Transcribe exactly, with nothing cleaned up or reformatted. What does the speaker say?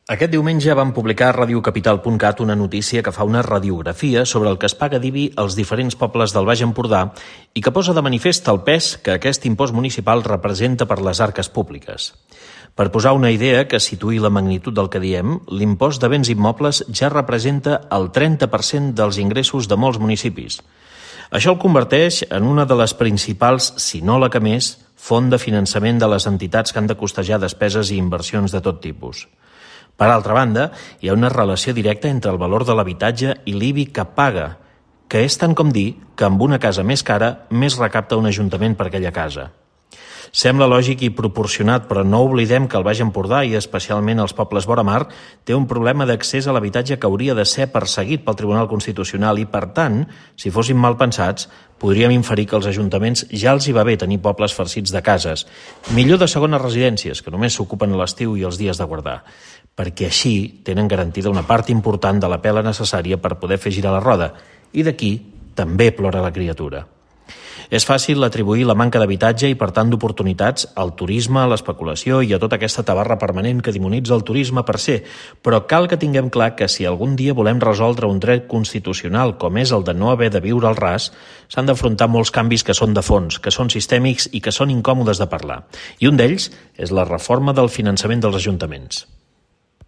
Aquest diumenge vam publicar a radio capital punt cat una notícia que fa una radiografia sobre el que es paga d'I B I als diferents pobles del Baix Empordà i que posa de manifest el pes que aquest impost municipal representa per les arques públiques. Per posar una idea que situï la magnitud del que diem, l'impost de béns immobles ja representa el trenta per cent dels ingressos de molts municipis. Això el converteix en una de les principals, si no la que més, font de finançament de les entitats que han de costejar despeses i inversions de tot tipus. Per altra banda, hi ha una relació directa entre el valor de l'habitatge i l'I B I que paga, que és tant com dir que amb una casa més cara, més recapta un ajuntament per aquella casa. Sembla lògic i proporcionat, però no oblidem que el Baix Empordà, i especialment els pobles vora mar, té un problema d'accés a l'habitatge que hauria de ser perseguit pel Tribunal Constitucional i, per tant, si fóssim mal pensats, podríem inferir que als ajuntaments ja els hi va bé tenir pobles farcits de cases, millor de segones residències, que només s'ocupen a l'estiu i els dies de guardar, perquè així tenen garantida una part important de la pela necessària per poder fer girar la roda, i d'aquí també plora la criatura. És fàcil atribuir la manca d'habitatge i, per tant, d'oportunitats al turisme, a l'especulació i a tota aquesta tabarra permanent que demonitza el turisme per ser, però cal que tinguem clar que si algun dia volem resoldre un dret constitucional com és el de no haver de viure al ras, s'han d'afrontar molts canvis que són de fons, que són sistèmics i que són incòmodes de parlar. I un d'ells és la reforma del finançament dels ajuntaments.